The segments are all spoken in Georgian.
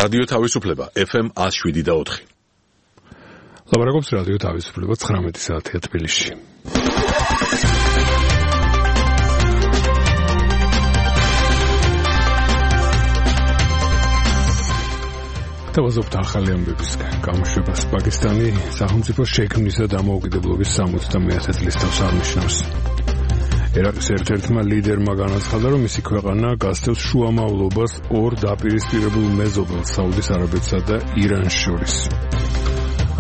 რადიო თავისუფლება FM 107.4. ლაპარაკობს რადიო თავისუფლება 19 საათია თბილისში. თავაზობთ ახალი ამბების გამოშვებას. პაკისტანი სახელმწიფო შექმნისა და დამოუკიდებლობის 70-ე წლის თავს აღნიშნავს. ერაყის ერთ-ერთმა ლიდერმა განაცხადა, რომ მისი ქვეყანა გასცემს შუამავლობას ორ დაპირისპირებულ მეზობელს საუდის არაბეთსა და իրანს შორის.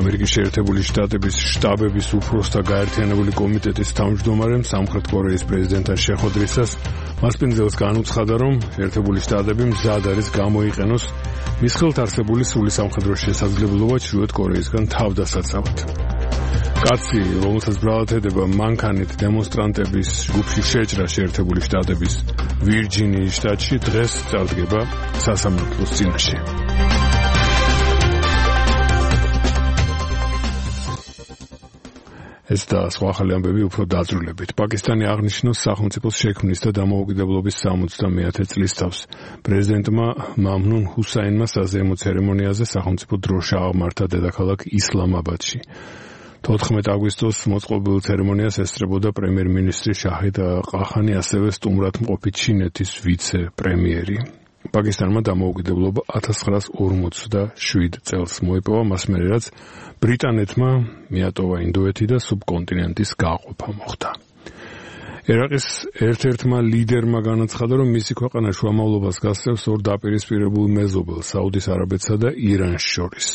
ამერიკის შეერთებული შტატების შტაბების უფროსთა გაერთიანებული კომიტეტის თავმჯდომარემ სამხრეთ კორეის პრეზიდენტთან შეხვედრისას მასპინძელს განუცხადა, რომ შეერთებული შტატები მზად არის გამოიყენოს მის ხელთ არსებული სრული სამხედრო შესაძლებლობა ჩრდილოეთ კორეისგან თავდასაცავად. კაცი, რომელსაც ბრალად ედება მანქანით დემონსტრანტების ჯგუფში შეჭრა შეერთებული შტატების ვირჯინიის შტატში, დღეს წარდგება სასამართლოს წინაშე. ეს და სხვა ახალი ამბები უფრო დაძრულებით. პაკისტანი აღნიშნავს სახელმწიფოს შექმნის და დამოუკიდებლობის 70-ე წლის თავს. პრეზიდენტმა მამნუნ ჰუსაინმა საზეიმო ცერემონიაზე სახელმწიფო დროშა აღმართა დედაქალაქ ისლამაბადში. 14 აგვისტოს მოწყობილ ცერემონიას ესწრებოდა პრემიერ-მინისტრი შაჰიდ ყახანი, ასევე სტუმრად მყოფი ჩინეთის ვიცე-პრემიერი. პაკისტანმა დამოუკიდებლობა 1947 წელს მოიპოვა, მას მერე რაც ბრიტანეთმა მიატოვა ინდოეთი და სუბკონტინენტის გაყოფა მოხდა. ერაყის ერთ-ერთმა ლიდერმა განაცხადა, რომ მისი ქვეყანა შუამავლობას გასცემს ორ დაპირისპირებულ მეზობელს საუდის არაბეთსა და իրანს შორის.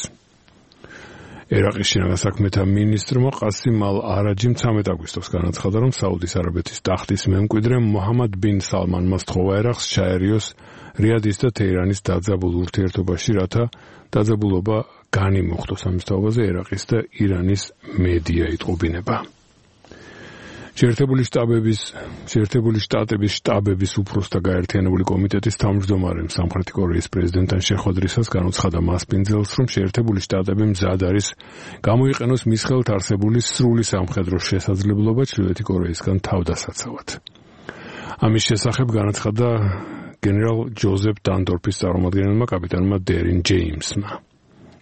ერაყის შინაგან საქმეთა მინისტრმა ყასიმ ალ-არაჯიმ 13 აგვისტოს განაცხადა, რომ საუდის არაბეთის ტახტის მემკვიდრე მოჰამად ბინ სალმანმა სთხოვა ერაყს ჩაერიოს რიადის და თეირანის დაძაბულ ურთიერთობაში, რათა დაძაბულობა განიმუხტოს. ამის თაობაზე ერაყის და ირანის მედია იტყობინება. შეერთებული შტატების შტაბების უფროსთა გაერთიანებული კომიტეტის თავმჯდომარემ სამხრეთი კორეის პრეზიდენტთან შეხვედრისას განუცხადა მასპინძელს, რომ შეერთებული შტატები მზად არის გამოიყენოს მის ხელთ არსებული სრული სამხედრო შესაძლებლობა ჩრდილოეთი კორეისგან თავდასაცავად. ამის შესახებ განაცხადა გენერალ ჯოზეფ დანდორფის წარმომადგენელმა კაპიტანმა დერინ ჯეიმსმა.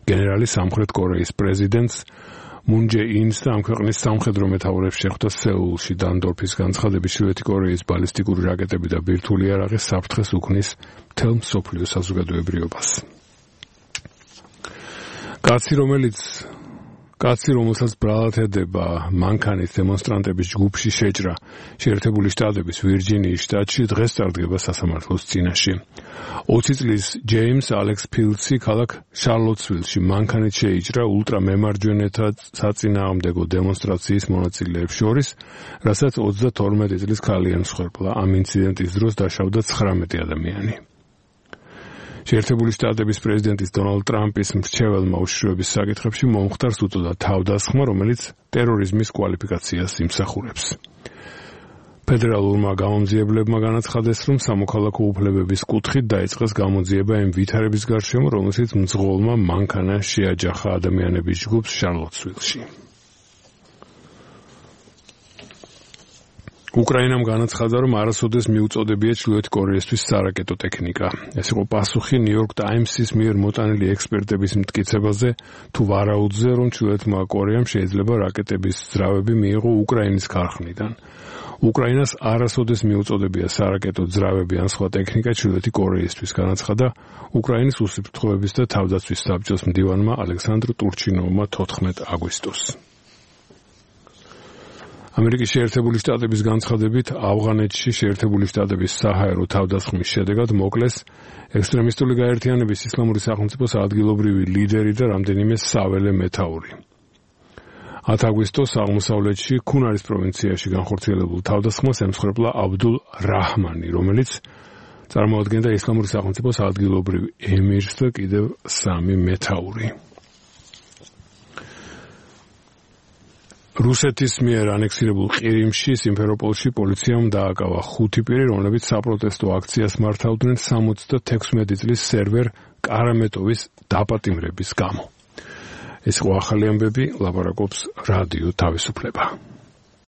გენერალი სამხრეთ კორეის პრეზიდენტს მუნ ჯე ინს და ამ ქვეყნის სამხედრო მეთაურებს შეხვდა სეულში. დანდორფის განცხადებით ჩრდილოეთი კორეის ბალისტიკური რაკეტები და ბირთვული იარაღი საფრთხეს უქმნის მთელ მსოფლიო საზოგადოებრიობას. კაცი, რომელსაც ბრალად ედება მანქანით დემონსტრანტების ჯგუფში შეჭრა შეერთებული შტატების ვირჯინიის შტატში, დღეს წარდგება სასამართლოს წინაშე. 20 წლის ჯეიმს ალექს ფილდსი ქალაქ შარლოტსვილში მანქანით შეიჭრა ულტრამემარჯვენეთა საწინააღმდეგო დემონსტრაციის მონაწილეებს შორის, რასაც 32 წლის ქალი ემსხვერპლა. ამ ინციდენტის დროს დაშავდა 19 ადამიანი. შეერთებული შტატების პრეზიდენტის დონალდ ტრამპის მრჩეველმა უშიშროების საკითხებში მომხდარს უწოდა თავდასხმა, რომელიც ტერორიზმის კვალიფიკაციას იმსახურებს. ფედერალურმა გამომძიებლებმა განაცხადეს, რომ სამოქალაქო უფლებების კუთხით დაიწყეს გამოძიება იმ ვითარების გარშემო, რომელშიც მძღოლმა მანქანა შეაჯახა ადამიანების ჯგუფს შარლოტსვილში. უკრაინამ განაცხადა, რომ არასოდეს მიუწოდებია ჩრდილოეთ კორეისთვის სარაკეტო ტექნიკა. ეს იყო პასუხი ნიუ-იორკ ტაიმსის მიერ მოტანილი ექსპერტების მტკიცებაზე, თუ ვარაუდზე, რომ ჩრდილოეთმა კორეამ შეიძლება რაკეტების ძრავები მიიღო უკრაინის ქარხნიდან. უკრაინას არასოდეს მიუწოდებია სარაკეტო ძრავები ან სხვა ტექნიკა ჩრდილოეთი კორეისთვის, განაცხადა უკრაინის უსაფრთხოების და თავდაცვის საბჭოს მდივანმა ალექსანდრ ტურჩინოვმა 14 აგვისტოს. ამერიკის შეერთებული შტატების განცხადებით, ავღანეთში შეერთებული შტატების საჰაერო თავდასხმის შედეგად მოკლეს ექსტრემისტული გაერთიანების ისლამური სახელმწიფოს ადგილობრივი ლიდერი და რამდენიმე საველე მეთაური. 10 აგვისტოს აღმოსავლეთში ქუნარის პროვინციაში განხორციელებულ თავდასხმას ემსხვერპლა აბდულ რაჰმანი, რომელიც წარმოადგენდა ისლამური სახელმწიფოს ადგილობრივ ემირს და კიდევ 3 მეთაური. რუსეთის მიერ ანექსირებულ ყირიმში, სიმფეროპოლში პოლიციამ დააკავა 5 პირი, რომლებიც საპროტესტო აქციას მართავდნენ 76 წლის სერვერ კარამეტოვის დაპატიმრების გამო. ეს იყო ახალი ამბები, ლაპარაკობს რადიო თავისუფლება.